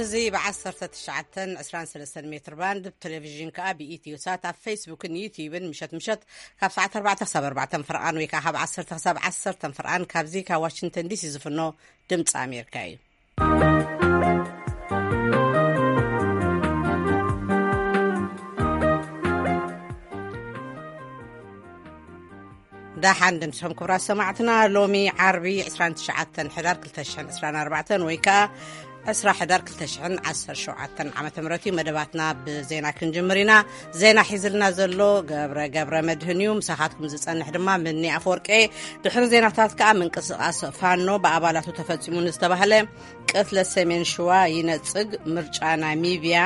እዚ ብ19 23 ሜትር ባንድ ብቴሌቪዥን ከኣ ብኢትዮ ሳት ኣብ ፌስቡክን ዩቲዩብን ምሸት ምሸት ካብ ሰዓት ኣርባዕተ ክሳብ ኣርባዕተ ፈርቓን ወይ ከኣ ካብ ዓሰርተ ክሳብ ዓሰርተ ፈርቓን ካብዚ ካብ ዋሽንግተን ዲሲ ዝፍኖ ድምፂ ኣሜሪካ እዩ። ደሓን ድምስኹም ክብራት ሰማዕትና። ሎሚ ዓርቢ ዕስራን ትሽዓተን ሕዳር ክልተ ሽሕን ዕስራን ኣርባዕተን ወይ ከኣ ዕስራ ሕዳር ክልተ ሽሕን ዓሰርተ ሸውዓተን ዓመተ ምህረት እዩ። መደባትና ብዜና ክንጅምር ኢና። ዜና ሒዝልና ዘሎ ገብረ ገብረ መድህን እዩ። ምሳኻትኩም ዝጸንሕ ድማ ምኒ ኣፈወርቄ። ድሕሪ ዜናታት ከኣ ምንቅስቓስ ፋኖ ብኣባላቱ ተፈጺሙ ንዝተባህለ ቅትለት ሰሜን ሽዋ ይነጽግ፣ ምርጫ ናሚብያ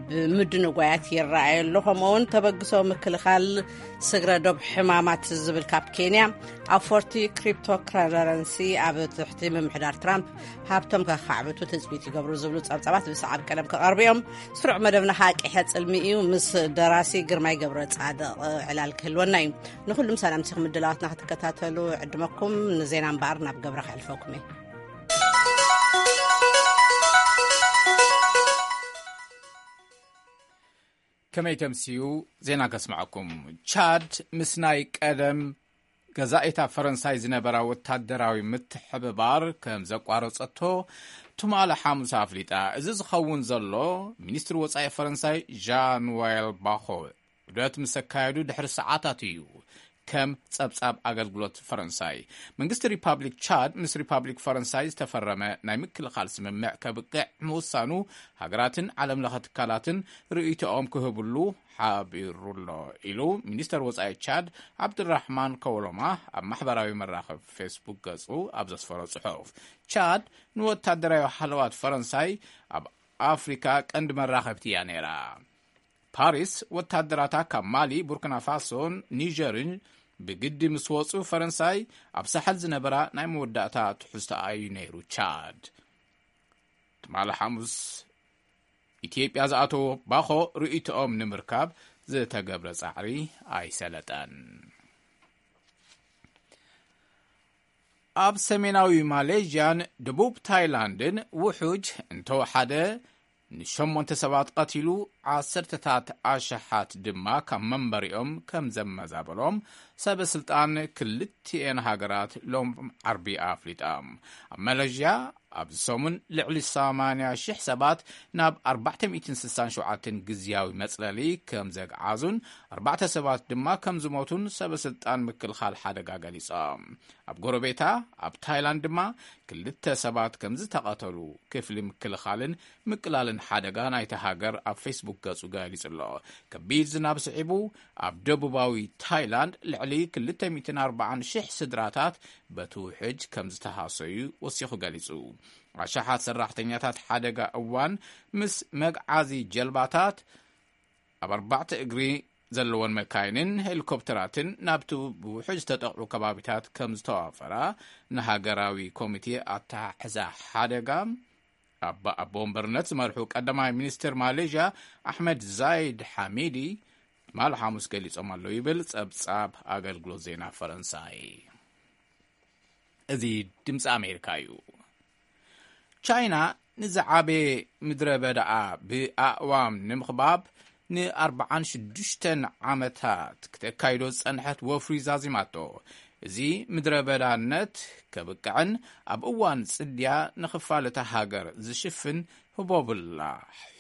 ብምድንጓያት ይረኣየ ኣሎ። ከምኡውን ተበግሶ ምክልኻል ስግረ ዶብ ሕማማት ዝብል ካብ ኬንያ፣ ኣፎርቲ ክሪፕቶክረረንሲ ኣብ ትሕቲ ምምሕዳር ትራምፕ ሃብቶም ከኻዕብቱ ትጽቢት ይገብሩ ዝብሉ ጸብጻባት ብሰዓብ ቀደም ክቐርቡ እዮም። ስሩዕ መደብና ከዓ ቂሐ ጽልሚ እዩ። ምስ ደራሲ ግርማይ ገብረ ጻድቕ ዕላል ክህልወና እዩ። ንኹሉም ሰላምቲኹም ምድላዋትና ክትከታተሉ ዕድመኩም። ንዜና እምበኣር ናብ ገብረ ከሕልፈኩም እየ። ከመይ ተምስዩ? ዜና ከስምዐኩም። ቻድ ምስ ናይ ቀደም ገዛኢታ ፈረንሳይ ዝነበራ ወታደራዊ ምትሕብባር ከም ዘቋረጸቶ ትማሊ ሓሙስ ኣፍሊጣ። እዚ ዝኸውን ዘሎ፣ ሚኒስትሪ ወጻኢ ፈረንሳይ ዣን ኖኤል ባኾ ዑደት ምስ ኣካየዱ ድሕሪ ሰዓታት እዩ፣ ከም ጸብጻብ ኣገልግሎት ፈረንሳይ። መንግስቲ ሪፓብሊክ ቻድ ምስ ሪፓብሊክ ፈረንሳይ ዝተፈረመ ናይ ምክልኻል ስምምዕ ከብቅዕ ምውሳኑ ሃገራትን ዓለምለኸ ትካላትን ርእይቶኦም ክህብሉ ሓቢሩ ኣሎ ኢሉ ሚኒስተር ወጻኢ ቻድ ዓብድራሕማን ከወሎማ ኣብ ማሕበራዊ መራኸቢ ፌስቡክ ገጹ ኣብ ዘስፈሮ ጽሑፍ። ቻድ ንወታደራዊ ሓለዋት ፈረንሳይ ኣብ ኣፍሪካ ቀንዲ መራኸብቲ እያ ነይራ። ፓሪስ ወታደራታ ካብ ማሊ፣ ቡርኪና ፋሶን ኒጀርን ብግዲ ምስ ወጹ፣ ፈረንሳይ ኣብ ሳሕል ዝነበራ ናይ መወዳእታ ትሕዝቶኣ እዩ ነይሩ። ቻድ ትማሊ ሓሙስ ኢትዮጵያ ዝኣተዎ ባኾ ርእይቶኦም ንምርካብ ዝተገብረ ጻዕሪ ኣይሰለጠን። ኣብ ሰሜናዊ ማሌዥያን ደቡብ ታይላንድን ውሑጅ እንተወሓደ ንሸሞንተ ሰባት ቀቲሉ፣ ዓሰርተታት ኣሽሓት ድማ ካብ መንበሪኦም ከም ዘመዛበሎም ሰበ ስልጣን ክልቲኤን ሃገራት ሎም ዓርቢ ኣፍሊጦም። ኣብ ማሌዥያ ኣብዚ ሰሙን ልዕሊ ሰማንያ ሽሕ ሰባት ናብ ኣርባዕተ ሚእትን ስሳን ሸውዓተን ግዝያዊ መጽለሊ ከም ዘግዓዙን ኣርባዕተ ሰባት ድማ ከም ዝሞቱን ሰበ ስልጣን ምክልኻል ሓደጋ ገሊጾም። ኣብ ጎረቤታ ኣብ ታይላንድ ድማ ክልተ ሰባት ከም ዝተቐተሉ ክፍሊ ምክልኻልን ምቅላልን ሓደጋ ናይቲ ሃገር ኣብ ፌስቡክ ገጹ ገሊጹ ኣሎ። ከቢድ ዝናብ ስዒቡ ኣብ ደቡባዊ ታይላንድ ልዕሊ ክልተ ሚእትን ኣርባዓን ሽሕ ስድራታት በቲ ውሕጅ ከም ዝተሃሰዩ ወሲኹ ገሊጹ። ኣሽሓት ሰራሕተኛታት ሓደጋ እዋን ምስ መግዓዚ ጀልባታት ኣብ ኣርባዕተ እግሪ ዘለወን መካይንን ሄሊኮፕተራትን ናብቲ ብውሕጅ ዝተጠቕዑ ከባቢታት ከም ዝተዋፈራ ንሃገራዊ ኮሚቴ ኣተሓሕዛ ሓደጋ ኣብ ኣቦ ወንበርነት ዝመርሑ ቀዳማይ ሚኒስትር ማሌዥያ ኣሕመድ ዛይድ ሓሚዲ ትማሊ ሓሙስ ገሊጾም ኣለዉ ይብል ጸብጻብ ኣገልግሎት ዜና ፈረንሳይ። እዚ ድምፂ ኣሜሪካ እዩ። ቻይና ንዝዓበየ ምድረ በዳኣ ብኣእዋም ንምኽባብ ንኣርባዓን ሽዱሽተን ዓመታት ክተካይዶ ዝጸንሐት ወፍሪ ዛዚማቶ። እዚ ምድረ በዳነት ከብቅዕን ኣብ እዋን ጽድያ ንኽፋል እታ ሃገር ዝሽፍን ህቦብላ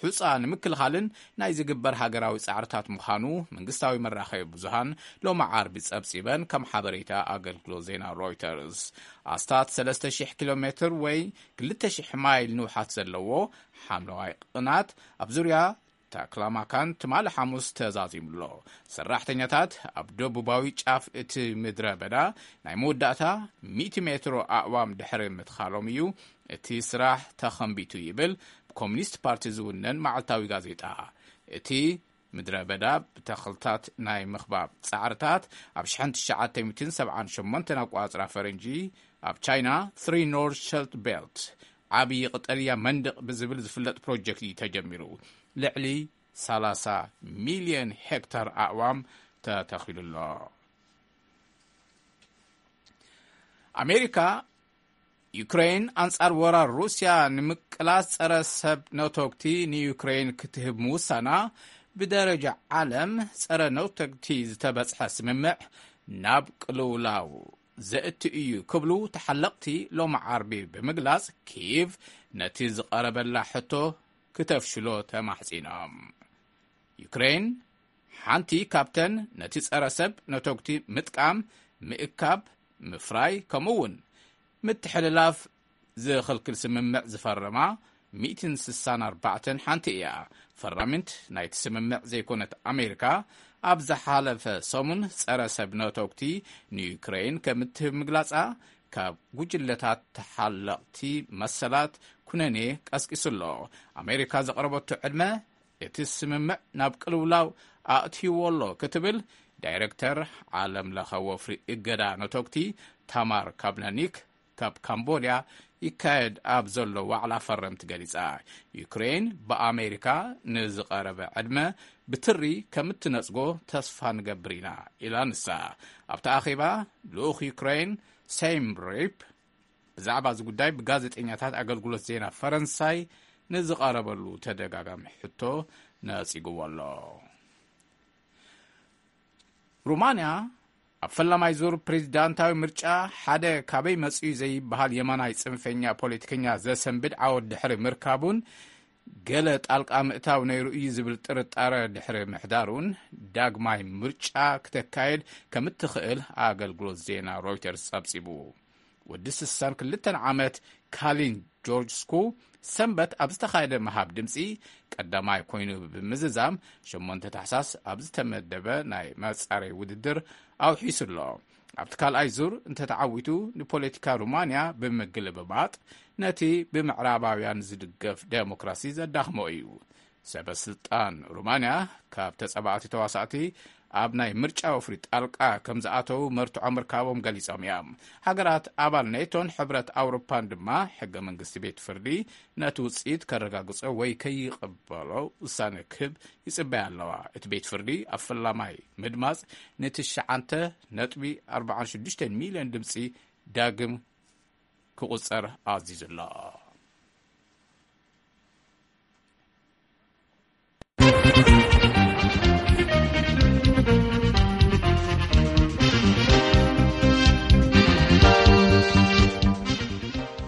ሑጻ ንምክልኻልን ናይ ዝግበር ሃገራዊ ጻዕርታት ምዃኑ መንግስታዊ መራኸቢ ብዙሃን ሎሚ ዓርቢ ጸብጺበን፣ ከም ሓበሬታ ኣገልግሎት ዜና ሮይተርስ። ኣስታት ሰለስተ ሽሕ ኪሎ ሜትር ወይ ክልተ ሽሕ ማይል ንውሓት ዘለዎ ሓምለዋይ ቅናት ኣብ ዙርያ ታክላማካን ትማሊ ሓሙስ ተዛዚሙ ኣሎ። ሰራሕተኛታት ኣብ ደቡባዊ ጫፍ እቲ ምድረ በዳ ናይ መወዳእታ ሚእቲ ሜትሮ ኣእዋም ድሕሪ ምትኻሎም እዩ እቲ ስራሕ ተኸንቢቱ ይብል ብኮሚኒስት ፓርቲ ዝውነን መዓልታዊ ጋዜጣ። እቲ ምድረ በዳ ብተኽልታት ናይ ምኽባብ ጻዕርታት ኣብ ሽሕን ትሽዓተ ሚእትን ሰብዓን ሸሞንተን ኣቋጽራ ፈረንጂ ኣብ ቻይና ትሪ ኖርዝ ሸልት ቤልት ዓብዪ ቀጠልያ መንደቕ ብዝብል ዝፍለጥ ፕሮጀክት እዩ ተጀሚሩ። ልዕሊ ሰላሳ ሚልዮን ሄክታር ኣእዋም ተተኺሉ ኣሎ። ኣሜሪካ ዩክሬን ኣንጻር ወራር ሩስያ ንምቅላስ ጸረ ሰብ ነቶግቲ ንዩክሬን ክትህብ ምውሳና ብደረጃ ዓለም ጸረ ነቶግቲ ዝተበጽሐ ስምምዕ ናብ ቅልውላው ዘእቲ እዩ ክብሉ ተሓለቕቲ ሎሚ ዓርቢ ብምግላጽ፣ ኪቭ ነቲ ዝቐረበላ ሕቶ ክተፍሽሎ ተማሕጺኖም። ዩክሬን ሓንቲ ካብተን ነቲ ጸረ ሰብ ነቶግቲ ምጥቃም፣ ምእካብ፣ ምፍራይ ከምኡ እውን ምትሕልላፍ ዝኽልክል ስምምዕ ዝፈረማ ሚእትን ስሳን ኣርባዕተን ሓንቲ እያ። ፈራሚት ናይቲ ስምምዕ ዘይኮነት ኣሜሪካ፣ ኣብ ዝሓለፈ ሰሙን ጸረ ሰብ ነቶግቲ ንዩክሬን ከም እትህብ ምግላጻ፣ ካብ ጉጅለታት ተሓለቕቲ መሰላት ኩነኔ ቀስቂሱ ኣሎ። ኣሜሪካ ዘቕረበቶ ዕድመ እቲ ስምምዕ ናብ ቅልውላው ኣእትይዎ ኣሎ ክትብል ዳይረክተር ዓለም ለኸ ወፍሪ እገዳ ነቶግቲ ታማር ካብነኒክ ካብ ካምቦድያ ይካየድ ኣብ ዘሎ ዋዕላ ፈረምቲ ገሊጻ። ዩክሬን ብኣሜሪካ ንዝቐረበ ዕድመ ብትሪ ከም እትነጽጎ ተስፋ ንገብር ኢና ኢላ ንሳ። ኣብቲ ኣኼባ ልኡኽ ዩክሬን ሴም ሪፕ ብዛዕባ እዚ ጉዳይ ብጋዜጠኛታት ኣገልግሎት ዜና ፈረንሳይ ንዝቐረበሉ ተደጋጋሚ ሕቶ ነጺግዎ ኣሎ። ሩማንያ ኣብ ፈላማይ ዙር ፕሬዚዳንታዊ ምርጫ ሓደ ካበይ መጽኡ ዘይበሃል የማናይ ጽንፈኛ ፖለቲከኛ ዘሰንብድ ዓወት ድሕሪ ምርካቡን ገለ ጣልቃ ምእታው ነይሩ እዩ ዝብል ጥርጣረ ድሕሪ ምሕዳሩን ዳግማይ ምርጫ ክተካየድ ከም እትኽእል ኣገልግሎት ዜና ሮይተርስ ጸብጺቡ። ወዲ ስሳን ክልተን ዓመት ካሊን ጆርጅ ስኩ ሰንበት ኣብ ዝተኻየደ ምሃብ ድምፂ ቀዳማይ ኮይኑ ብምዝዛም ሸሞንተ ታሕሳስ ኣብ ዝተመደበ ናይ መፃረይ ውድድር ኣውሒሱ ኣሎ። ኣብቲ ካልኣይ ዙር እንተተዓዊቱ ንፖለቲካ ሩማንያ ብምግልብባጥ ነቲ ብምዕራባውያን ዝድገፍ ዴሞክራሲ ዘዳኽሞ እዩ። ሰበ ስልጣን ሩማንያ ካብ ተጸባእቲ ተዋሳእቲ ኣብ ናይ ምርጫ ወፍሪ ጣልቃ ከም ዝኣተዉ መርትዖ ምርካቦም ገሊጾም እዮም። ሃገራት ኣባል ኔቶን ሕብረት ኣውሮፓን ድማ ሕገ መንግስቲ ቤት ፍርዲ ነቲ ውጽኢት ከረጋግጾ ወይ ከይቕበሎ ውሳነ ክህብ ይጽበያ ኣለዋ። እቲ ቤት ፍርዲ ኣብ ፈላማይ ምድማጽ ንትሽዓተ ነጥቢ ኣርባዓን ሽዱሽተን ሚልዮን ድምጺ ዳግም ክቑጸር ኣዚዙ ኣሎ።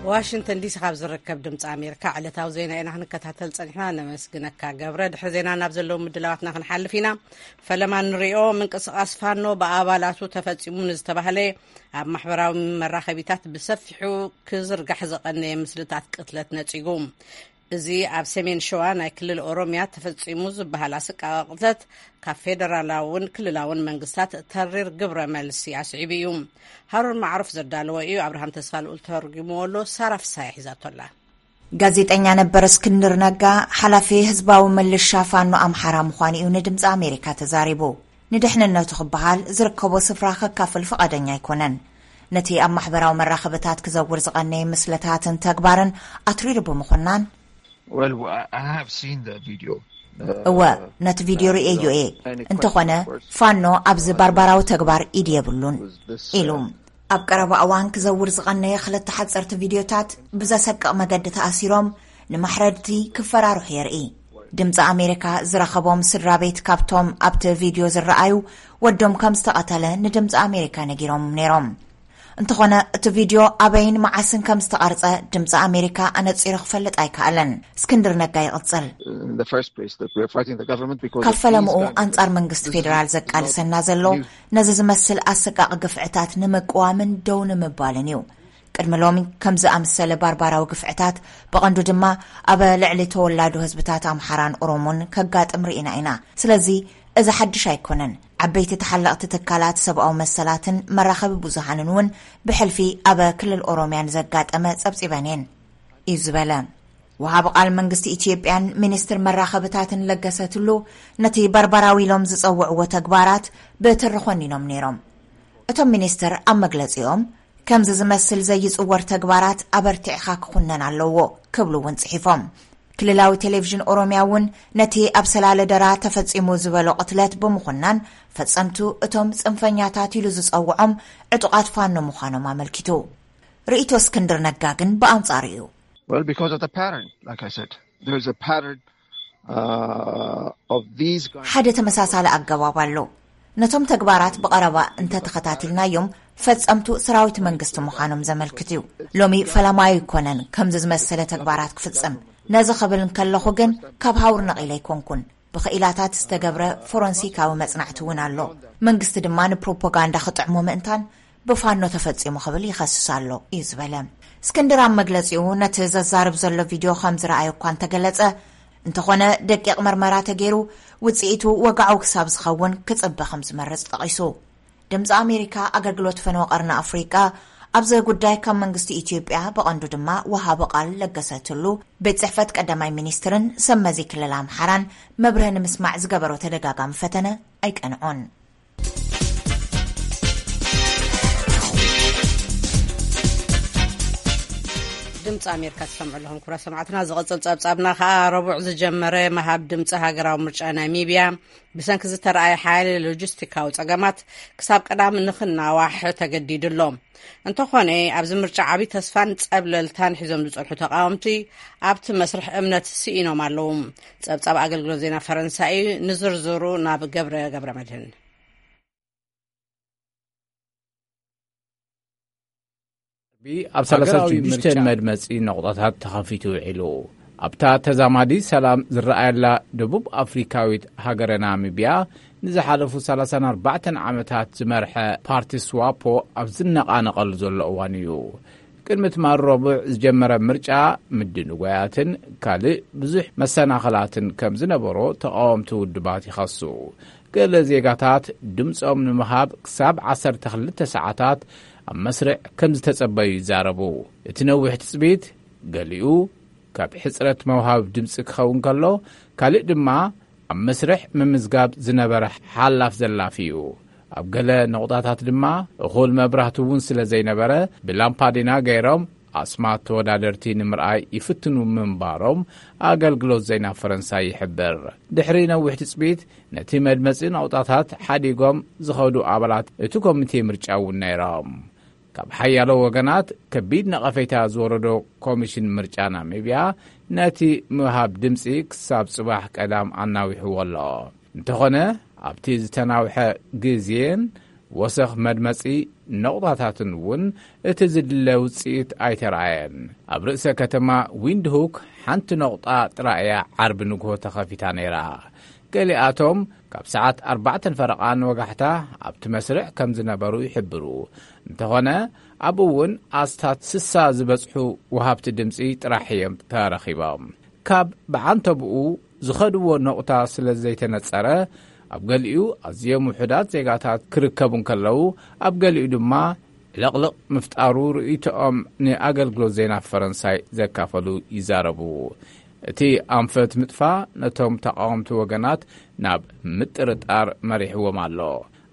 ዋሽንግተን ዲሲ ካብ ዝርከብ ድምፂ ኣሜሪካ ዕለታዊ ዜና ኢና ክንከታተል ፀኒሕና። ነመስግነካ ገብረ። ድሕሪ ዜና ናብ ዘለዉ ምድላዋትና ክንሓልፍ ኢና። ፈለማ ንሪኦ፣ ምንቅስቃስ ፋኖ ብኣባላቱ ተፈፂሙ ንዝተባህለ ኣብ ማሕበራዊ መራኸቢታት ብሰፊሑ ክዝርጋሕ ዝቐነየ ምስልታት ቅትለት ነፂጉ። እዚ ኣብ ሰሜን ሸዋ ናይ ክልል ኦሮምያ ተፈጺሙ ዝበሃል ኣሰቃቂ ቅትለት ካብ ፌደራላውን ክልላውን መንግስታት ተሪር ግብረ መልሲ ኣስዒቡ እዩ። ሃሩን ማዕሩፍ ዘዳለዎ እዩ። ኣብርሃም ተስፋ ልኡል ተርጉምዎ ኣሎ። ሳራ ፍሳሐ ሒዛቶ ኣላ። ጋዜጠኛ ነበር እስክንድር ነጋ ሓላፊ ህዝባዊ ምልሻ ፋኖ ኣምሓራ ምዃኑ እዩ ንድምፂ ኣሜሪካ ተዛሪቡ። ንድሕንነቱ ክበሃል ዝርከቦ ስፍራ ከካፍል ፍቓደኛ ኣይኮነን። ነቲ ኣብ ማሕበራዊ መራኸብታት ክዘውር ዝቐነየ ምስልታትን ተግባርን ኣትሪሩ ብምኹናን፣ Well, I I have seen the video. እወ፣ ነቲ ቪድዮ ርእየዮ እየ። እንተኾነ፣ ፋኖ ኣብዚ ባርባራዊ ተግባር ኢድ የብሉን ኢሉ። ኣብ ቀረባ እዋን ክዘውር ዝቐነየ ክልተ ሓጸርቲ ቪድዮታት ብዘሰቅቕ መገዲ ተኣሲሮም ንማሕረድቲ ክፈራርሑ የርኢ። ድምፂ ኣሜሪካ ዝረኸቦም ስድራ ቤት ካብቶም ኣብቲ ቪድዮ ዝረኣዩ ወዶም ከም ዝተቐተለ ንድምፂ ኣሜሪካ ነጊሮም ነይሮም። እንተኾነ፣ እቲ ቪድዮ ኣበይን መዓስን ከም ዝተቐርጸ ድምፂ ኣሜሪካ ኣነጺሩ ክፈልጥ ኣይከኣለን። እስክንድር ነጋ ይቕጽል። In the first place, that we are fighting the government because ካብ ፈለምኡ ኣንጻር መንግስቲ ፌደራል ዘቃልሰና ዘሎ፣ ነዚ ዝመስል ኣሰቃቂ ግፍዕታት ንምቅዋምን ደው ንምባልን እዩ። ቅድሚ ሎሚ ከም ዝኣመሰለ ባርባራዊ ግፍዕታት፣ ብቐንዱ ድማ ኣብ ልዕሊ ተወላዶ ህዝብታት ኣምሓራን ኦሮሞን ከጋጥም ርኢና ኢና። ስለዚ እዚ ሓድሽ ኣይኮነን። ዓበይቲ ተሓለቕቲ ትካላት ሰብኣዊ መሰላትን መራኸቢ ብዙሃንን እውን ብሕልፊ ኣብ ክልል ኦሮምያ ንዘጋጠመ ጸብጺበን እየን እዩ ዝበለ። ወሃቢ ቃል መንግስቲ ኢትዮጵያን ሚኒስትር መራኸብታትን ለገሰ ቱሉ ነቲ ባርባራዊ ኢሎም ዝጸውዕዎ ተግባራት ብትሪ ኮኒኖም ነይሮም። እቶም ሚኒስትር ኣብ መግለጺኦም፣ ከምዚ ዝመስል ዘይጽወር ተግባራት ኣበርቲዕኻ ክኹነን ኣለዎ ክብሉ እውን ጽሒፎም። ክልላዊ ቴሌቪዥን ኦሮምያ እውን ነቲ ኣብ ሰላለ ደራ ተፈጺሙ ዝበሎ ቅትለት ብምኹናን፣ ፈጸምቱ እቶም ጽንፈኛታት ኢሉ ዝጸውዖም ዕጡቓት ፋኖ ምዃኖም ኣመልኪቱ። ርእይቶ እስክንድር ነጋ ግን ብኣንጻሩ እዩ። Well, because of the pattern, like I said, there's a pattern, uh, of these kind ሓደ ተመሳሳሊ ኣገባብ ኣሎ። ነቶም ተግባራት ብቐረባ እንተተኸታቲልናዮም፣ ፈጸምቱ ሰራዊት መንግስቲ ምዃኖም ዘመልክት እዩ። ሎሚ ፈላማዩ ኣይኮነን ከምዚ ዝመሰለ ተግባራት ክፍጽም። ነዚ ክብል እንከለኹ ግን፣ ካብ ሃውር ነቒለ ኣይኮንኩን። ብኽኢላታት ዝተገብረ ፎረንሲካዊ መጽናዕቲ እውን ኣሎ። መንግስቲ ድማ ንፕሮፓጋንዳ ክጥዕሞ ምእንታን ብፋኖ ተፈጺሙ ክብል ይኸስስ ኣሎ እዩ ዝበለ። እስክንድር ኣብ መግለጺኡ፣ ነቲ ዘዛርብ ዘሎ ቪድዮ ከም ዝረኣዮ እኳ እንተገለጸ፣ እንተኾነ ደቂቕ መርመራ ተገይሩ ውጽኢቱ ወግዓዊ ክሳብ ዝኸውን ክጽበ ከም ዝመርጽ ጠቒሱ። ድምጺ ኣሜሪካ ኣገልግሎት ፈነወ ቀርኒ ኣፍሪቃ ኣብዚ ጉዳይ ካብ መንግስቲ ኢትዮጵያ፣ ብቐንዱ ድማ ወሃቢ ቃል ለገሰ ቱሉ፣ ቤት ጽሕፈት ቀዳማይ ሚኒስትርን ሰብ መዚ ክልል ኣምሓራን መብርሂ ንምስማዕ ዝገበሮ ተደጋጋሚ ፈተነ ኣይቀንዖን። ድምፂ ኣሜሪካ ትሰምዑ ኣለኹም ክቡራት ሰማዕትና። ዝቕፅል ፀብፃብና ከዓ ረቡዕ ዝጀመረ ምሃብ ድምፂ ሃገራዊ ምርጫ ናሚብያ ብሰንኪ ዝተረኣየ ሓያለ ሎጂስቲካዊ ፀገማት ክሳብ ቀዳም ንኽናዋሕ ተገዲዱ ኣሎ። እንተኾነ ኣብዚ ምርጫ ዓብዪ ተስፋን ፀብለልታን ሒዞም ዝፀንሑ ተቃወምቲ ኣብቲ መስርሕ እምነት ስኢኖም ኣለዉ። ፀብፃብ ኣገልግሎት ዜና ፈረንሳይ እዩ። ንዝርዝሩ ናብ ገብረ ገብረ መድህን። ኣብ ሃገራዊ ሰላሳ ሽዱሽተ ምርጫ መድመጺ ነቑጣታት ተኸፊቱ ውዒሉ። ኣብታ ተዛማዲ ሰላም ዝረኣየላ ደቡብ ኣፍሪካዊት ሃገረ ናሚብያ፣ ንዝሓለፉ ሰላሳን ኣርባዕተን ዓመታት ዝመርሐ ፓርቲ ስዋፖ ኣብ ዝነቓነቐሉ ዘሎ እዋን እዩ። ቅድሚ ትማል ረቡዕ ዝጀመረ ምርጫ፣ ምድንጓያትን ካልእ ብዙሕ መሰናኽላትን ከም ዝነበሮ ተቓወምቲ ውድባት ይኸሱ። ገለ ዜጋታት ድምጾም ንምሃብ ክሳብ ዓሰርተ ክልተ ሰዓታት ኣብ መስርዕ ከም ዝተጸበዩ ይዛረቡ። እቲ ነዊሕ ትጽቢት፣ ገሊኡ ካብ ሕጽረት መውሃብ ድምጺ ክኸውን ከሎ፣ ካልእ ድማ ኣብ መስርሕ ምምዝጋብ ዝነበረ ሓላፍ ዘላፊ እዩ። ኣብ ገለ ነቑጣታት ድማ እኹል መብራህቲ እውን ስለ ዘይነበረ፣ ብላምፓዲና ገይሮም ኣስማት ተወዳደርቲ ንምርኣይ ይፍትኑ ምንባሮም ኣገልግሎት ዜና ፈረንሳይ ይሕብር። ድሕሪ ነዊሕ ትጽቢት፣ ነቲ መድመጺ ነቑጣታት ሓዲጎም ዝኸዱ ኣባላት እቲ ኮሚቴ ምርጫ እውን ነይሮም። ካብ ሓያሎ ወገናት ከቢድ ነቐፌታ ዝወረዶ ኮሚሽን ምርጫ ናሚብያ፣ ነቲ ምሃብ ድምጺ ክሳብ ጽባሕ ቀዳም ኣናዊሕዎ ኣሎ። እንተኾነ፣ ኣብቲ ዝተናውሐ ግዜን ወሰኽ መድመጺ ነቑጣታትን እውን እቲ ዝድለ ውጽኢት ኣይተረኣየን። ኣብ ርእሰ ከተማ ዊንድሁክ ሓንቲ ነቑጣ ጥራይ እያ ዓርቢ ንግሆ ተኸፊታ ነይራ። ገሊኣቶም ካብ ሰዓት ኣርባዕተን ፈረቓን ወጋሕታ ኣብቲ መስርዕ ከም ዝነበሩ ይሕብሩ። እንተኾነ፣ ኣብኡ እውን ኣስታት ስሳ ዝበጽሑ ወሃብቲ ድምጺ ጥራሕ እዮም ተረኺቦም። ካብ ብዓንተብኡ ዝኸድዎ ነቑታ ስለ ዘይተነጸረ፣ ኣብ ገሊኡ ኣዝዮም ውሑዳት ዜጋታት ክርከቡ እንከለዉ፣ ኣብ ገሊኡ ድማ ዕልቕልቕ ምፍጣሩ ርእይቶኦም ንኣገልግሎት ዜና ፈረንሳይ ዘካፈሉ ይዛረቡ። እቲ ኣንፈት ምጥፋእ ነቶም ተቓወምቲ ወገናት ናብ ምጥርጣር መሪሕዎም ኣሎ።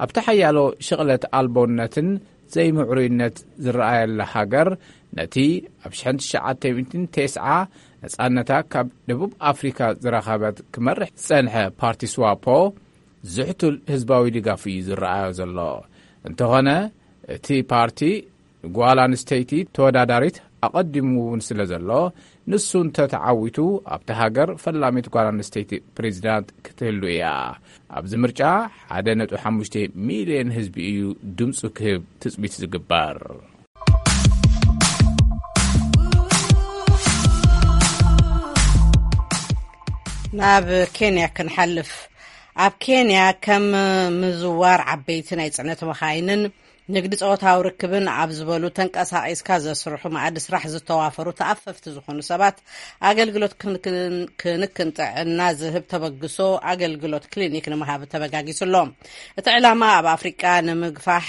ኣብቲ ሓያሎ ሽቕለት ኣልቦነትን ዘይምዕሩይነት ዝረኣየላ ሃገር፣ ነቲ ኣብ ሽሕን ትሽዓተ ሚእትን ተስዓ ነጻነታ ካብ ደቡብ ኣፍሪካ ዝረኸበት ክመርሕ ዝጸንሐ ፓርቲ ስዋፖ ዝሕቱል ህዝባዊ ድጋፍ እዩ ዝረኣዮ ዘሎ። እንተኾነ፣ እቲ ፓርቲ ንጓል ኣንስተይቲ ተወዳዳሪት ኣቐዲሙ እውን ስለ ዘሎ፣ ንሱ እንተተዓዊቱ ኣብቲ ሃገር ፈላሚት ጓል ኣንስተይቲ ፕሬዚዳንት ክትህሉ እያ። ኣብዚ ምርጫ ሓደ ነጥቢ ሓሙሽተ ሚልዮን ህዝቢ እዩ ድምፁ ክህብ ትፅቢት ዝግበር። ናብ ኬንያ ክንሓልፍ። ኣብ ኬንያ ከም ምዝዋር ዓበይቲ ናይ ጽዕነት መኻይንን ንግዲ ጾታዊ ርክብን ኣብ ዝበሉ ተንቀሳቒስካ ዘስርሑ መኣዲ ስራሕ ዝተዋፈሩ ተኣፈፍቲ ዝኾኑ ሰባት ኣገልግሎት ክንክን፣ ክንክን ጥዕና ዝህብ ተበግሶ ኣገልግሎት ክሊኒክ ንምሃብ ተበጋጊሱ ኣሎ። እቲ ዕላማ ኣብ ኣፍሪቃ ንምግፋሕ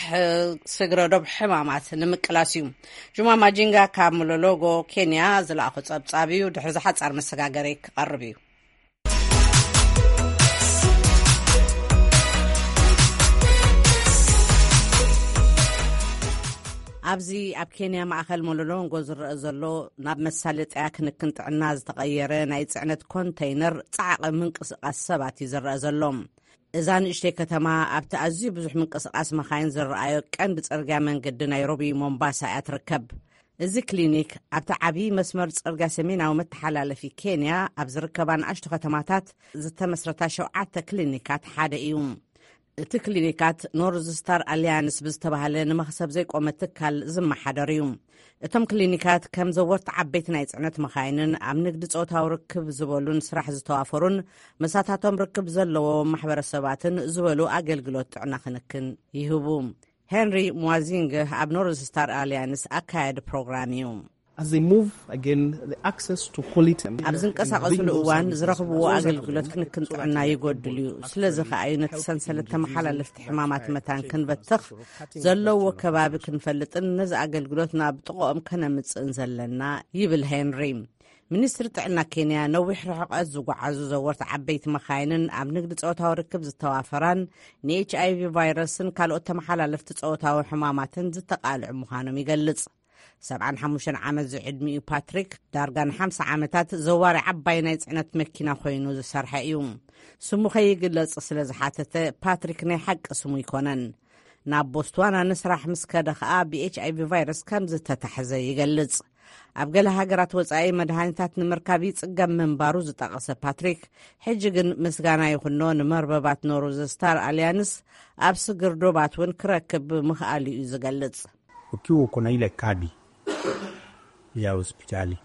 ስግረ ዶብ ሕማማት ንምቅላስ እዩ። ጁማ ማጂንጋ ካብ ሞሎሎጎ ኬንያ ዝለኣኾ ጸብጻብ እዩ። ድሕሪ ዝሓጻር መሰጋገሪ ክቐርብ እዩ። ኣብዚ ኣብ ኬንያ ማእኸል ሞሎሎንጎ ዝረአ ዘሎ ናብ መሳለጥያ ክንክን ጥዕና ዝተቐየረ ናይ ጽዕነት ኮንተይነር ጻዕቒ ምንቅስቓስ ሰባት እዩ ዝረአ ዘሎ። እዛ ንእሽተይ ከተማ ኣብቲ ኣዝዩ ብዙሕ ምንቅስቓስ መኻይን ዝረኣዮ ቀንዲ ጽርግያ መንገዲ ናይሮቢ ሞምባሳ እያ ትርከብ። እዚ ክሊኒክ ኣብቲ ዓብዪ መስመር ጽርግያ ሰሜናዊ መተሓላለፊ ኬንያ ኣብ ዝርከባ ንኣሽቱ ከተማታት ዝተመስረታ ሸውዓተ ክሊኒካት ሓደ እዩ። እቲ ክሊኒካት ኖርዝ ስታር ኣሊያንስ ብዝተባህለ ንመኽሰብ ዘይቆመ ትካል ዝመሓደር እዩ። እቶም ክሊኒካት ከም ዘወርቲ ዓበይቲ ናይ ጽዕነት መኻይንን ኣብ ንግዲ ጾታዊ ርክብ ዝበሉን ስራሕ ዝተዋፈሩን መሳታቶም ርክብ ዘለዎ ማሕበረሰባትን ዝበሉ ኣገልግሎት ጥዕና ክንክን ይህቡ። ሄንሪ ሟዚንግ ኣብ ኖርዝ ስታር ኣሊያንስ ኣካያዲ ፕሮግራም እዩ። As they move again, the access to quality ኣብ ዝንቀሳቐስሉ እዋን ዝረኽብዎ ኣገልግሎት ክንክን ጥዕና ይጎድል እዩ። ስለዚ ከኣ እዩ ነቲ ሰንሰለት ተመሓላለፍቲ ሕማማት መታን ክንበትኽ ዘለዎ ከባቢ ክንፈልጥን ነዚ ኣገልግሎት ናብ ጥቕኦም ከነምጽእን ዘለና፣ ይብል ሄንሪ። ሚኒስትሪ ጥዕና ኬንያ ነዊሕ ርሕቀት ዝጓዓዙ ዘወርቲ ዓበይቲ መኻይንን ኣብ ንግዲ ጾታዊ ርክብ ዝተዋፈራን ንኤች ኣይቪ ቫይረስን ካልኦት ተመሓላለፍቲ ጾታዊ ሕማማትን ዝተቓልዑ ምዃኖም ይገልጽ። ሰብዓን ሓሙሽተን ዓመት ዝዕድሚኡ ፓትሪክ ዳርጋ ንሓምሳ ዓመታት ዘዋሪ ዓባይ ናይ ጽዕነት መኪና ኮይኑ ዝሰርሐ እዩ። ስሙ ከይግለጽ ስለ ዝሓተተ ፓትሪክ ናይ ሓቂ ስሙ ኣይኮነን። ናብ ቦትስዋና ንስራሕ ምስ ከደ ኸኣ ብኤች ኣይቪ ቫይረስ ከም ዝተታሕዘ ይገልጽ። ኣብ ገለ ሃገራት ወጻኢ መድሃኒታት ንምርካብ ይጽገም ምንባሩ ዝጠቐሰ ፓትሪክ፣ ሕጂ ግን ምስጋና ይኹኖ ንመርበባት ኖርዝ ስታር ኣልያንስ ኣብ ስግር ዶባት እውን ክረክብ ምኽኣሉ እዩ ዝገልጽ። Ukiwa uko na ile kadi ya hospitali.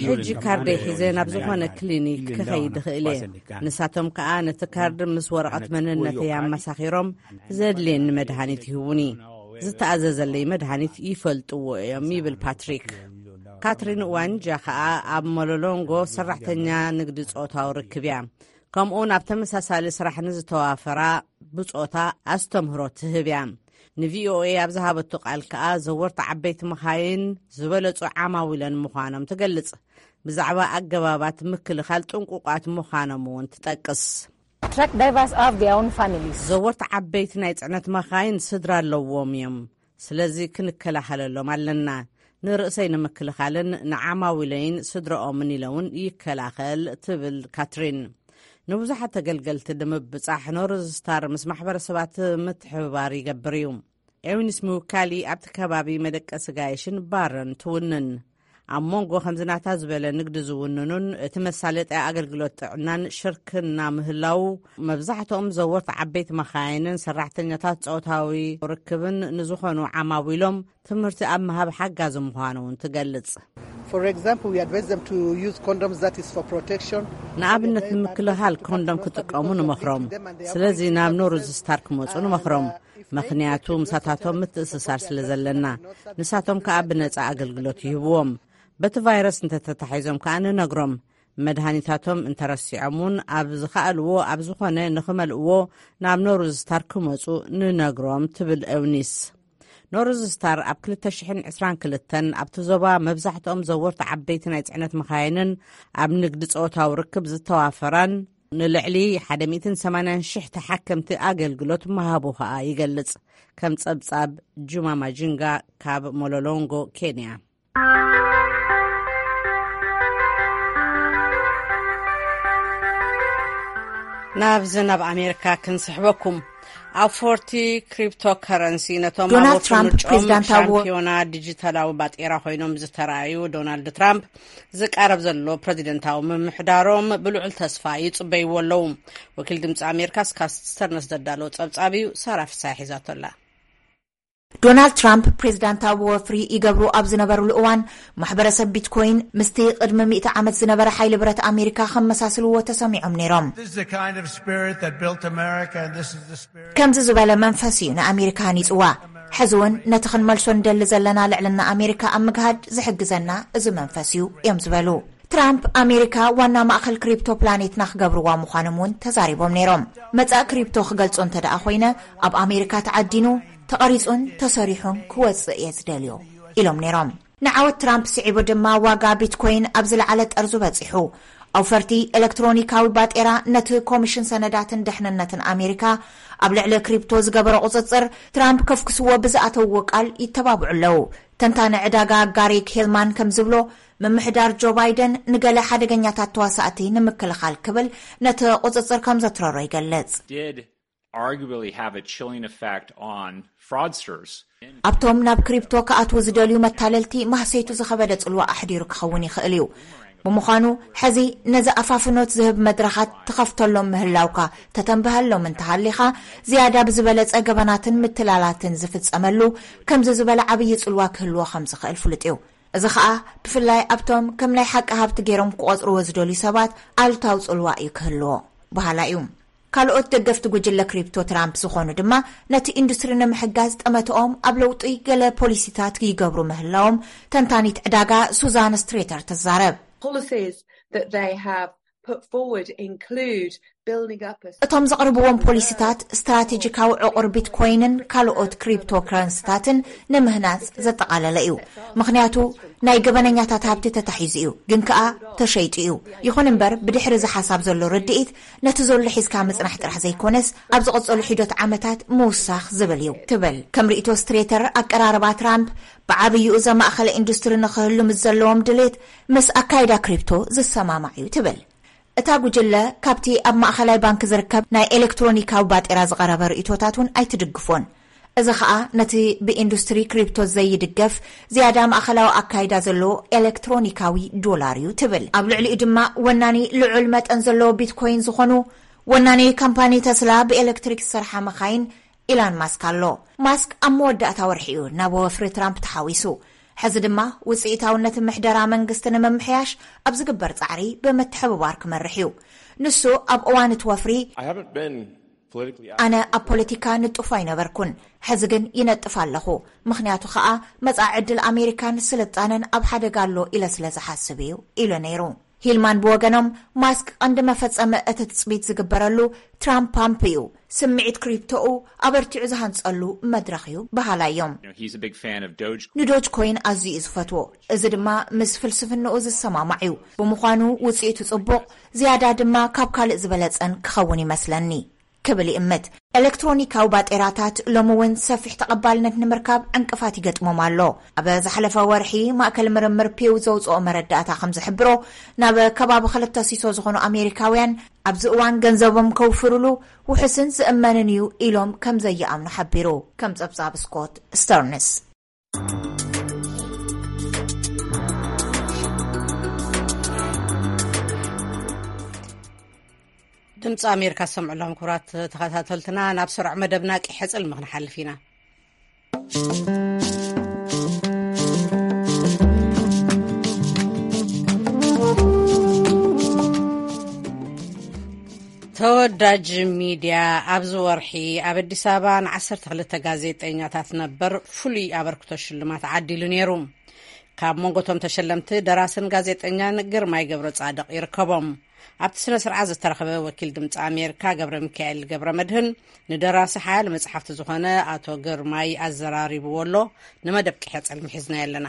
ሕጂ ካርደይ ሒዘ ናብ ዝኾነ ክሊኒክ ክኸይድ እኽእል እየ። ንሳቶም ከኣ ነቲ ካርድ ምስ ወረቐት መንነተይ ኣመሳኺሮም ዘድልየኒ መድሃኒት ይህቡኒ። ዝተኣዘዘለይ መድሃኒት ይፈልጥዎ እዮም፣ ይብል ፓትሪክ። ካትሪን ዋንጃ ከኣ ኣብ ሞሎሎንጎ ሰራሕተኛ ንግዲ ጾታዊ ርክብ እያ። ከምኡውን ኣብ ተመሳሳሊ ስራሕ ንዝተዋፈራ ብጾታ ኣስተምህሮ ትህብ እያ። ንቪኦኤ ኣብ ዝሃበቶ ቃል ከኣ ዘወርቲ ዓበይቲ መኻይን ዝበለጹ ዓማዊለን ምዃኖም ትገልጽ። ብዛዕባ ኣገባባት ምክልኻል ጥንቁቋት ምዃኖም እውን ትጠቅስ። Truck drivers have their own families. ዘወርቲ ዓበይቲ ናይ ጽዕነት መኻይን ስድራ ኣለዎም እዮም። ስለዚ ክንከላኸለሎም ኣለና። ንርእሰይ ንምክልኻልን ንዓማዊለይን ስድረኦምን ኢለ እውን ይከላኸል፣ ትብል ካትሪን። ንብዙሓት ተገልገልቲ ንምብጻሕ ኖርዝ ስታር ምስ ማሕበረሰባት ምትሕብባር ይገብር እዩ። ኤውኒስ ምውካሊ ኣብቲ ከባቢ መደቀሲ ጋየሽን ባርን ትውንን። ኣብ መንጎ ከምዚ ናታ ዝበለ ንግዲ ዝውንኑን እቲ መሳለጥያ ኣገልግሎት ጥዕናን ሽርክና ምህላው፣ መብዛሕትኦም ዘወርቲ ዓበይቲ መኻይንን ሰራሕተኛታት ጾታዊ ርክብን ንዝኾኑ ዓማዊሎም ትምህርቲ ኣብ ምሃብ ሓጋዚ ምዃኑ እውን ትገልጽ። For example, we advise them to use condoms, that is for protection. ንኣብነት ንምክልኻል ኮንዶም ክጥቀሙ ንመኽሮም። ስለዚ ናብ ኖርዝ ስታር ክመጹ ንመኽሮም። ምኽንያቱ ምሳታቶም ምትእስሳር ስለ ዘለና፣ ንሳቶም ከኣ ብነጻ ኣገልግሎት ይህብዎም። በቲ ቫይረስ እንተተታሒዞም ከኣ ንነግሮም። መድሃኒታቶም እንተረሲዖም እውን ኣብ ዝኸኣልዎ ኣብ ዝኾነ ንኽመልእዎ ናብ ኖርዝ ስታር ክመጹ ንነግሮም፣ ትብል ኤውኒስ። ኖርዝ ስታር ኣብ ክልተ ሽሕን ዕስራን ክልተን ኣብቲ ዞባ መብዛሕትኦም ዘወርቲ ዓበይቲ ናይ ጽዕነት መኻይንን ኣብ ንግዲ ጾታዊ ርክብ ዝተዋፈራን ንልዕሊ ሓደ ሚእትን ሰማንያን ሽሕ ተሓከምቲ ኣገልግሎት ምሃቡ ኸኣ ይገልጽ። ከም ጸብጻብ ጁማ ማጂንጋ ካብ ሞሎሎንጎ፣ ኬንያ። ናብዚ ናብ ኣሜሪካ ክንስሕበኩም። ኣብ ፎርቲ ክሪፕቶ ከረንሲ ነቶም ኣብ ዶናልድ ወርሒ ትራምፕ ምርጫኦም ፕሬዚዳንታዊ ሻምፒዮና ዲጂታላዊ ባጤራ ኮይኖም ዝተራእዩ ዶናልድ ትራምፕ ዝቃረብ ዘሎ ፕሬዚደንታዊ ምምሕዳሮም ብልዑል ተስፋ ይጽበይዎ ኣለዉ። ወኪል ድምፂ ኣሜሪካ ስካት ስተርነስ ዘዳለዎ ጸብጻብ እዩ፣ ሳራ ፍሳሐ ሒዛቶ ኣላ። ዶናልድ ትራምፕ ፕሬዚዳንታዊ ወፍሪ ይገብሩ ኣብ ዝነበሩሉ እዋን፣ ማሕበረሰብ ቢትኮይን ምስቲ ቅድሚ ሚእቲ ዓመት ዝነበረ ሓይሊ ብረት ኣሜሪካ ከመሳስልዎ ተሰሚዖም ነይሮም። This is the kind of spirit that built America, and this is the spirit ከምዚ ዝበለ መንፈስ እዩ ንኣሜሪካ ሃኒጽዋ። ሕዚ እውን ነቲ ክንመልሶ ንደሊ ዘለና ልዕልና ኣሜሪካ ኣብ ምግሃድ ዝሕግዘና እዚ መንፈስ እዩ እዮም ዝበሉ። ትራምፕ ኣሜሪካ ዋና ማእኸል ክሪፕቶ ፕላኔትና ክገብርዋ ምዃኖም እውን ተዛሪቦም ነይሮም። መጻኢ ክሪፕቶ ክገልጾ እንተ ደኣ ኮይነ፣ ኣብ ኣሜሪካ ተዓዲኑ፣ ተቐሪጹን ተሰሪሑን ክወጽእ እየ ዝደልዮ ኢሎም ነይሮም። ንዓወት ትራምፕ ስዒቡ ድማ ዋጋ ቢትኮይን ኣብ ዝለዓለ ጠርዙ በጺሑ። ኣውፈርቲ ኤሌክትሮኒካዊ ባጤራ ነቲ ኮሚሽን ሰነዳትን ድሕንነትን ኣሜሪካ ኣብ ልዕሊ ክሪፕቶ ዝገበሮ ቁጽጽር ትራምፕ ከፍክስዎ ብዝኣተውዎ ቃል ይተባብዑ ኣለዉ። ተንታኒ ዕዳጋ ጋሪ ኬልማን ከም ዝብሎ፣ ምምሕዳር ጆ ባይደን ንገለ ሓደገኛታት ተዋሳእቲ ንምክልኻል ክብል ነቲ ቁጽጽር ከም ዘትረሮ ይገልጽ። arguably have a chilling effect on fraudsters. ኣብቶም ናብ ክሪፕቶ ክኣትዉ ዝደልዩ መታለልቲ ማህሰይቱ ዝኸበደ ጽልዋ ኣሕዲሩ ክኸውን ይኽእል እዩ። ብምዃኑ ሕዚ ነዚ ኣፋፍኖት ዝህብ መድረኻት ትኸፍተሎም ምህላውካ ተተንብሀሎም እንተሃሊኻ፣ ዝያዳ ብዝበለጸ ገበናትን ምትላላትን ዝፍጸመሉ ከምዚ ዝበለ ዓብዪ ጽልዋ ክህልዎ ከም ዝኽእል ፍሉጥ እዩ። እዚ ኸኣ ብፍላይ ኣብቶም ከም ናይ ሓቂ ሃብቲ ገይሮም ክቖጽርዎ ዝደልዩ ሰባት ኣሉታዊ ጽልዋ እዩ ክህልዎ በሃላይ እዩ። ካልኦት ደገፍቲ ጉጅለ ክሪፕቶ ትራምፕ ዝኾኑ ድማ ነቲ ኢንዱስትሪ ንምሕጋዝ ጠመተኦም ኣብ ለውጢ ገለ ፖሊሲታት ይገብሩ ምህላዎም ተንታኒት ዕዳጋ ሱዛን ስትሬተር ትዛረብ። Policies that they have put forward include building up a እቶም ዘቕርብዎም ፖሊሲታት ስትራቴጂካዊ ዕቑር ቢትኮይንን ካልኦት ክሪፕቶ ከረንስታትን ንምህናጽ ዘጠቓለለ እዩ። ምኽንያቱ ናይ ገበነኛታት ሃብቲ ተታሒዙ እዩ፣ ግን ከኣ ተሸይጡ እዩ። ይኹን እምበር ብድሕሪ እዚ ሓሳብ ዘሎ ርድኢት ነቲ ዘሎ ሒዝካ ምጽናሕ ጥራሕ ዘይኮነስ ኣብ ዝቕጸሉ ሒደት ዓመታት ምውሳኽ ዝብል እዩ ትብል። ከም ርእይቶ ስትሬተር ኣቀራርባ ትራምፕ ብዓብይኡ ዘማእኸለ ኢንዱስትሪ ንኽህሉ ምስ ዘለዎም ድሌት ምስ ኣካይዳ ክሪፕቶ ዝሰማማዕ እዩ ትብል። እታ ጉጅለ ካብቲ ኣብ ማእኸላይ ባንክ ዝርከብ ናይ ኤሌክትሮኒካዊ ባጤራ ዝቐረበ ርእይቶታት እውን ኣይትድግፎን። እዚ ኸኣ ነቲ ብኢንዱስትሪ ክሪፕቶ ዘይድገፍ ዝያዳ ማእኸላዊ ኣካይዳ ዘለዎ ኤሌክትሮኒካዊ ዶላር እዩ ትብል። ኣብ ልዕሊኡ ድማ ወናኒ ልዑል መጠን ዘለዎ ቢትኮይን ዝኾኑ ወናኒ ካምፓኒ ተስላ ብኤሌክትሪክ ዝሰርሓ መኻይን ኢላን ማስክ ኣሎ። ማስክ ኣብ መወዳእታ ወርሒ እዩ ናብ ወፍሪ ትራምፕ ተሓዊሱ። ሕዚ ድማ ውፅኢታውነት ምሕደራ መንግስቲ ንምምሕያሽ ኣብ ዝግበር ፃዕሪ ብምትሕብባር ክመርሕ እዩ። ንሱ ኣብ እዋን እቲ ወፍሪ ኣነ ኣብ ፖለቲካ ንጡፍ ኣይነበርኩን፣ ሕዚ ግን ይነጥፍ ኣለኹ፣ ምኽንያቱ ኸኣ መጻኢ ዕድል ኣሜሪካን ስልጣነን ኣብ ሓደጋ ኣሎ ኢለ ስለ ዝሓስብ እዩ ኢሉ ነይሩ። ሂልማን ብወገኖም ማስክ ቀንዲ መፈጸሚ እቲ ትጽቢት ዝግበረሉ ትራምፕ ፓምፕ እዩ፣ ስምዒት ክሪፕቶኡ ኣበርቲዑ ዝሃንጸሉ መድረኽ እዩ በሃላይ እዮም። You know, he's a big fan of Doge. ንዶጅ ኮይን ኣዝዩ እዩ ዝፈትዎ፣ እዚ ድማ ምስ ፍልስፍንኡ ዝሰማማዕ እዩ። ብምዃኑ ውጽኢቱ ጽቡቕ፣ ዝያዳ ድማ ካብ ካልእ ዝበለጸን ክኸውን ይመስለኒ ክብል ይእምት። ኤሌክትሮኒካዊ ባጤራታት ሎሚ እውን ሰፊሕ ተቐባልነት ንምርካብ ዕንቅፋት ይገጥሞም ኣሎ። ኣብ ዝሓለፈ ወርሒ ማእከል ምርምር ፒው ዘውፅኦ መረዳእታ ከም ዝሕብሮ ናብ ከባቢ ክልተ ሲሶ ዝኾኑ ኣሜሪካውያን ኣብዚ እዋን ገንዘቦም ከውፍርሉ ውሑስን ዝእመንን እዩ ኢሎም ከም ዘይኣምኑ ሓቢሩ። ከም ጸብጻብ ስኮት ስተርንስ። ድምፂ ኣሜሪካ ዝሰምዑ ኣለኹም ክቡራት ተኸታተልትና። ናብ ስሩዕ መደብና ቂሐ ጽልሚ ክንሓልፍ ኢና። ተወዳጅ ሚድያ ኣብዚ ወርሒ ኣብ ኣዲስ ኣበባ ንዓሰርተ ክልተ ጋዜጠኛታት ነበር ፍሉይ ኣበርክቶ ሽልማት ዓዲሉ ነይሩ። ካብ መንጎ እቶም ተሸለምቲ ደራስን ጋዜጠኛን ግርማይ ገብረ ጻድቕ ይርከቦም። ኣብቲ ስነ ስርዓት ዝተረኸበ ወኪል ድምፂ ኣሜሪካ ገብረ ሚካኤል ገብረ መድህን ንደራሲ ሓያል መፅሓፍቲ ዝኾነ ኣቶ ግርማይ ኣዘራሪብዎ ኣሎ። ንመደብ ቂሐ ጽልሚ ሒዝናዮ ኣለና።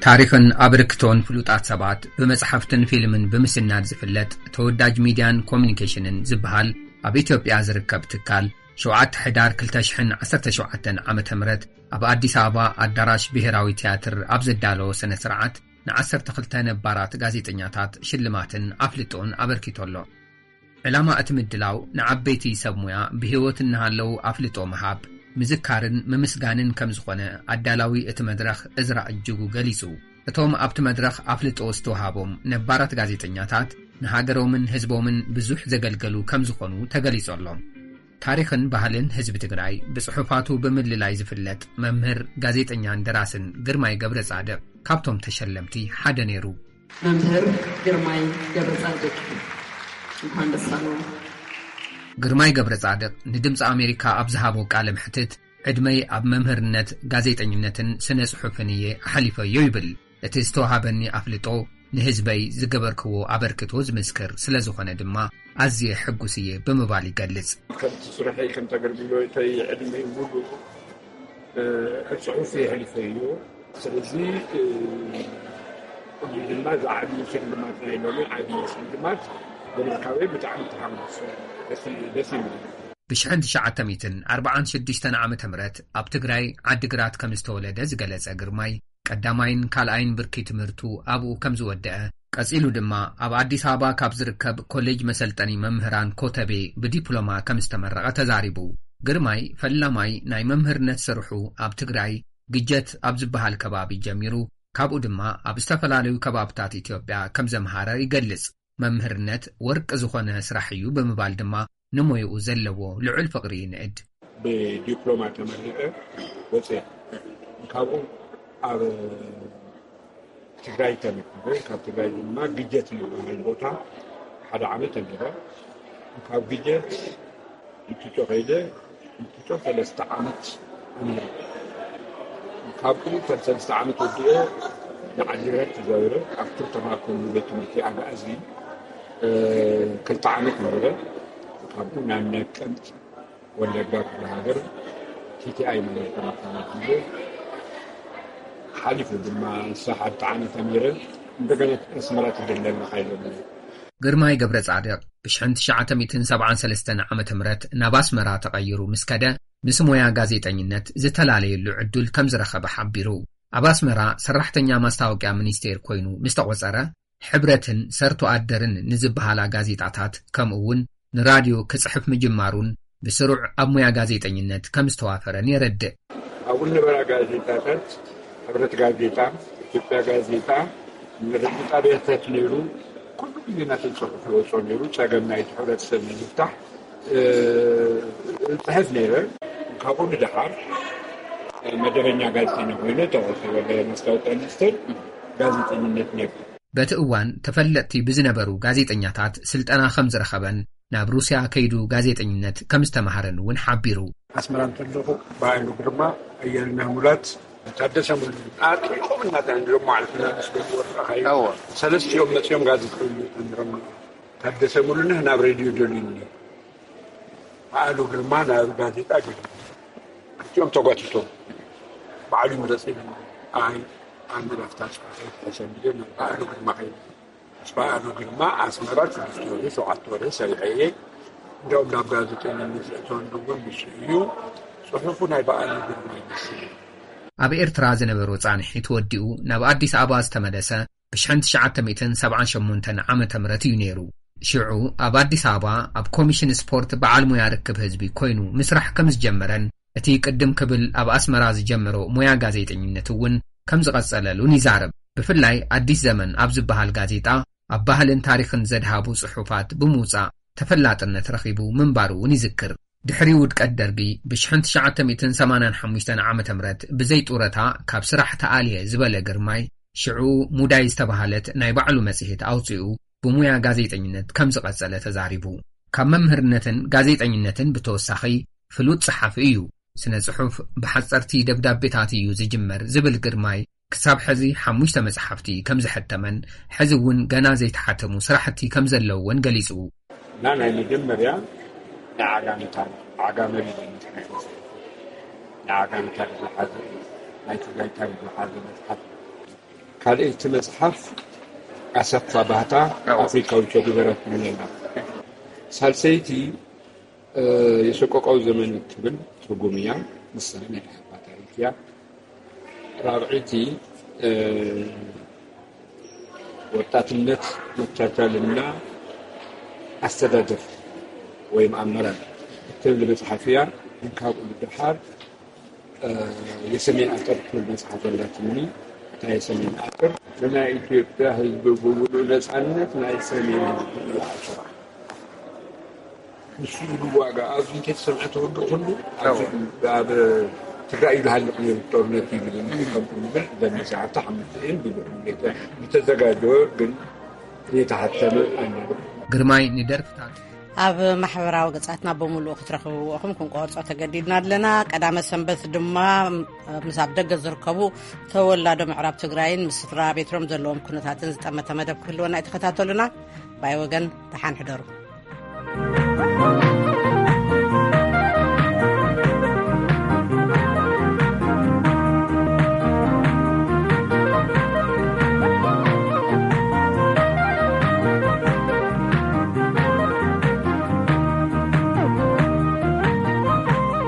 ታሪኽን ኣበርክቶን ፍሉጣት ሰባት ብመጽሓፍትን ፊልምን ብምስናድ ዝፍለጥ ተወዳጅ ሚድያን ኮሙኒኬሽንን ዝበሃል ኣብ ኢትዮጵያ ዝርከብ ትካል ሸውዓተ ሕዳር ክልተ ሽሕን ዓሰርተ ሸውዓተን ዓመተ ምህረት ኣብ ኣዲስ ኣበባ ኣዳራሽ ብሄራዊ ትያትር ኣብ ዘዳለዎ ስነ ስርዓት ንዓሰርተ ክልተ ነባራት ጋዜጠኛታት ሽልማትን ኣፍልጦን ኣበርኪቱ ኣሎ። ዕላማ እቲ ምድላው ንዓበይቲ ሰብ ሙያ ብህይወት እናሃለዉ ኣፍልጦ ምሃብ፣ ምዝካርን ምምስጋንን ከም ዝኾነ ኣዳላዊ እቲ መድረኽ እዝራ እጅጉ ገሊጹ። እቶም ኣብቲ መድረኽ ኣፍልጦ ዝተውሃቦም ነባራት ጋዜጠኛታት ንሃገሮምን ህዝቦምን ብዙሕ ዘገልገሉ ከም ዝኾኑ ተገሊጹ ኣሎ። ታሪኽን ባህልን ህዝቢ ትግራይ ብጽሑፋቱ ብምልላይ ዝፍለጥ መምህር፣ ጋዜጠኛን ደራስን ግርማይ ገብረ ጻድቕ ካብቶም ተሸለምቲ ሓደ ነይሩ። መምህር ግርማይ ገብረጻድቅ እንኳን ደስ ኣለው። ግርማይ ገብረጻድቕ ንድምፂ ኣሜሪካ ኣብ ዝሃቦ ቃለ መሕትት፣ ዕድመይ ኣብ መምህርነት፣ ጋዜጠኝነትን ስነ ጽሑፍን እየ ኣሕሊፈዮ ይብል። እቲ ዝተዋሃበኒ ኣፍልጦ ንህዝበይ ዝገበርክዎ ኣበርክቶ ዝምስክር ስለ ዝኾነ ድማ ኣዝየ ሕጉስ እየ ብምባል ይገልጽ። ከምቲ ስርሐይ ከምቲ ኣገልግሎተይ ዕድመይ ሙሉእ ኣብ ጽሑፍ የሕሊፈዮ። ስለዚ እዚ ድማ ዝዓቢ ሽልማት ናይ ሎሚ ዓቢ ሽልማት ብምርካበይ ብጣዕሚ ተሓጒሰ። ደስ ደስ ይብል። ብሽሕን ትሽዓተ ሚእትን ኣርባዓን ሽዱሽተን ዓመተ ምህረት ኣብ ትግራይ ዓዲግራት ከም ዝተወለደ ዝገለጸ ግርማይ፣ ቀዳማይን ካልኣይን ብርኪ ትምህርቱ ኣብኡ ከም ዝወደአ፣ ቀጺሉ ድማ ኣብ ኣዲስ ኣበባ ካብ ዝርከብ ኮሌጅ መሰልጠኒ መምህራን ኮተቤ ብዲፕሎማ ከም ዝተመረቐ ተዛሪቡ። ግርማይ ፈላማይ ናይ መምህርነት ስርሑ ኣብ ትግራይ ግጀት ኣብ ዝበሃል ከባቢ ጀሚሩ፣ ካብኡ ድማ ኣብ ዝተፈላለዩ ከባብታት ኢትዮጵያ ከም ዘምሃረ ይገልጽ። መምህርነት ወርቂ ዝኾነ ስራሕ እዩ ብምባል ድማ ንሞይኡ ዘለዎ ልዑል ፍቕሪ ይንእድ። ብዲፕሎማ ተመሪቐ ወፅአ። ካብኡ ኣብ ትግራይ ተመርኩ። ካብ ትግራይ ድማ ግጀት ዝበሃል ቦታ ሓደ ዓመት ተምሂረ። ካብ ግጀት እንትጮ ከይደ፣ እንትጮ ሰለስተ ዓመት ተምሂረ። ካብኡ ከም ሰለስተ ዓመት ወዲኤ ንዓዲግራት ተዛዊረ። ኣብ ክልተ ማእከል ቤት ትምህርቲ ኣግኣዚ፣ እ፣ ክልተ ዓመት ነበረ። ካብኡ ናብ ነቀምት ወለጋ ክፍለ ሃገር ቲ ቲ ኣይ ማለት ተመርኩ። ሓሊፉ ድማ ንሳ ሓንቲ ዓመት ተምሂረ። እንደገና ኣስመራ ትደለና ሓይለ። ግርማይ ገብረ ጻድቕ ብሽሕን ትሽዓተ ሚእትን ሰብዓን ሰለስተን ዓመተ ምህረት ናብ ኣስመራ ተቐይሩ ምስ ከደ፣ ምስ ሞያ ጋዜጠኝነት ዝተላለየሉ ዕድል ከም ዝረኸበ ሓቢሩ። ኣብ ኣስመራ ሰራሕተኛ ማስታወቅያ ሚኒስቴር ኮይኑ ምስ ተቖጸረ፣ ሕብረትን ሰርቶ ኣደርን ንዝበሃላ ጋዜጣታት፣ ከምኡ እውን ንራድዮ ክጽሕፍ ምጅማሩን ብስሩዕ ኣብ ሞያ ጋዜጠኝነት ከም ዝተዋፈረን የረድእ። ኣብኡ ዝነበራ ጋዜጣታት፣ ሕብረት ጋዜጣ፣ ኢትዮጵያ ጋዜጣ፣ ንሬድዮ ጣብያታት ነይሩ። ኩሉ ግዜ ናተይ ጽሑፍ ይወጾ ነይሩ። ጸገም ናይቲ ሕብረተሰብ ንምፍታሕ፣ እ፣ እጽሕፍ ነይረ። ካብኡ ንደሓር፣ እ፣ መደበኛ ጋዜጠኛ ኮይነ ተቐጺረ። ብማስታወቅያ ሚኒስቴር ጋዜጠኝነት ነይሩ። በቲ እዋን ተፈለጥቲ ብዝነበሩ ጋዜጠኛታት ስልጠና ከም ዝረኸበን ናብ ሩስያ ከይዱ ጋዜጠኝነት ከም ዝተማሃረን እውን ሓቢሩ። ኣስመራ እንተለኹ ብሃይሉ ግርማ፣ ኣያልና ሙላት፣ ታደሰ ሙሉ ኣጥሪቖም እናተ እንድሮም ማለት ኢና ምስ ገቡ ወርቃ ኸዩ። እወ። ሰለስቲኦም መጺኦም ጋዜጠኛ እንድሮም። ታደሰ ሙሉነህ ናብ ሬድዮ ደልዩኒ። በዓሉ ግርማ ናብ ጋዜጣ ገይሩ። ክልቲኦም ተጓቲቶም። በዓሉ ይምረጽ ኢሉ። ኣይ፣ ኣነ ናብታ ስራሕ ከይድ ተሰሚደ ናብ በዓሉ ግርማ ከይደ። ምስ በዓሉ ግርማ ኣስመራ ስድስተ ወርሒ፣ ሸውዓተ ወርሒ ሰሪሐ እየ። እንዲያውም ናብ ጋዜጠኝነት ዘእተወኒ እውን ንሱ እዩ። ጽሑፉ ናይ በዓሉ ግርማ ይመስል። ኣብ ኤርትራ ዝነበሮ ጻንሒት ወዲኡ ናብ ኣዲስ ኣበባ ዝተመለሰ ብሽሕን ትሽዓተ ሚእትን ሰብዓን ሸሞንተን ዓመተ ምህረት እዩ ነይሩ። ሽዑ ኣብ ኣዲስ ኣበባ ኣብ ኮሚሽን ስፖርት በዓል ሞያ ርክብ ህዝቢ ኮይኑ ምስራሕ ከም ዝጀመረን፣ እቲ ቅድም ክብል ኣብ ኣስመራ ዝጀመሮ ሞያ ጋዜጠኝነት እውን ከም ዝቐጸለሉን ይዛረብ። ብፍላይ ኣዲስ ዘመን ኣብ ዝበሃል ጋዜጣ ኣብ ባህልን ታሪኽን ዘድሃቡ ጽሑፋት ብምውጻእ ተፈላጥነት ረኺቡ ምንባሩ እውን ይዝክር። ድሕሪ ውድቀት ደርጊ ብሽሕን ትሽዓተ ሚእትን ሰማንያን ሓሙሽተን ዓመተ ምህረት ብዘይ ጡረታ ካብ ስራሕ ተኣልየ ዝበለ ግርማይ፣ ሽዑ ሙዳይ ዝተባህለት ናይ ባዕሉ መጽሔት ኣውጺኡ ብሙያ ጋዜጠኝነት ከም ዝቐጸለ ተዛሪቡ። ካብ መምህርነትን ጋዜጠኝነትን ብተወሳኺ ፍሉጥ ጸሓፊ እዩ። ስነ ጽሑፍ ብሓጸርቲ ደብዳቤታት እዩ ዝጅመር ዝብል ግርማይ፣ ክሳብ ሕዚ ሓሙሽተ መጽሓፍቲ ከም ዘሐተመን፣ ሕዚ እውን ገና ዘይተሓተሙ ስራሕቲ ከም ዘለውዎን ገሊጹ። እና ናይ መጀመርያ ናይ ዓጋመ ታሪኽ፣ ዓጋመ ሪጀን፣ ናይ ዓጋመ ታሪኽ ዝሓዘ፣ ናይ ትግራይ ታሪኽ ዝሓዘ መጽሓፍ። ካልኣይቲ መጽሓፍ ኣሰፋ ባህታ፣ ኣዎ። ኣፍሪካዊ ቸ ጉቨራ ትብል ኣላ። ሳልሰይቲ፣ እ፣ የሰቆቃው ዘመን ትብል ትርጉም እያ። ንሳ ናይ ኢህኣፓ ታሪኽ እያ። ራብዐይቲ፣ እ፣ ወጣትነት መቻቻልና ኣስተዳደር ወይም ኣመራር እትብል መጽሓፍ እያ። ካብኡ ንደሓር፣ እ፣ የሰሜን ኣጥር ትብል መጽሓፍ ኣላትኒ። እታ የሰሜን ኣጥር ንናይ ኢትዮጵያ ህዝቢ ብምሉእ ነጻነት ናይ ሰሜን ህዝቢ ይሓስባ። ንሱ ኢሉ ዋጋ ኣብዚ እንተተሰምዐ ተወግእ ኩሉ ኣብዚ ኣብ ትግራይ እዩ ዝሃልቕ ነይሩ ጦርነት እዩ ዝብል። ከምኡ ዝብል ዘመሰሓታ ሓሙሽተ እየን ዝብል ዝተዘጋጀወ ግን የተሓተመ ኣይነበረን። ግርማይ ንደርፍታት ኣብ ማሕበራዊ ገጻትና ብምሉኡ ክትረኽብዎ ኢኹም፣ ክንቆርጾ ተገዲድና ኣለና። ቀዳመ ሰንበት ድማ ምስ ኣብ ደገ ዝርከቡ ተወላዶ ምዕራብ ትግራይን ምስ ስድራ ቤትሮም ዘለዎም ኩነታትን ዝጠመተ መደብ ክህልወና እዩ። ተኸታተሉና። ባይ ወገን፣ ደሓን ሕደሩ።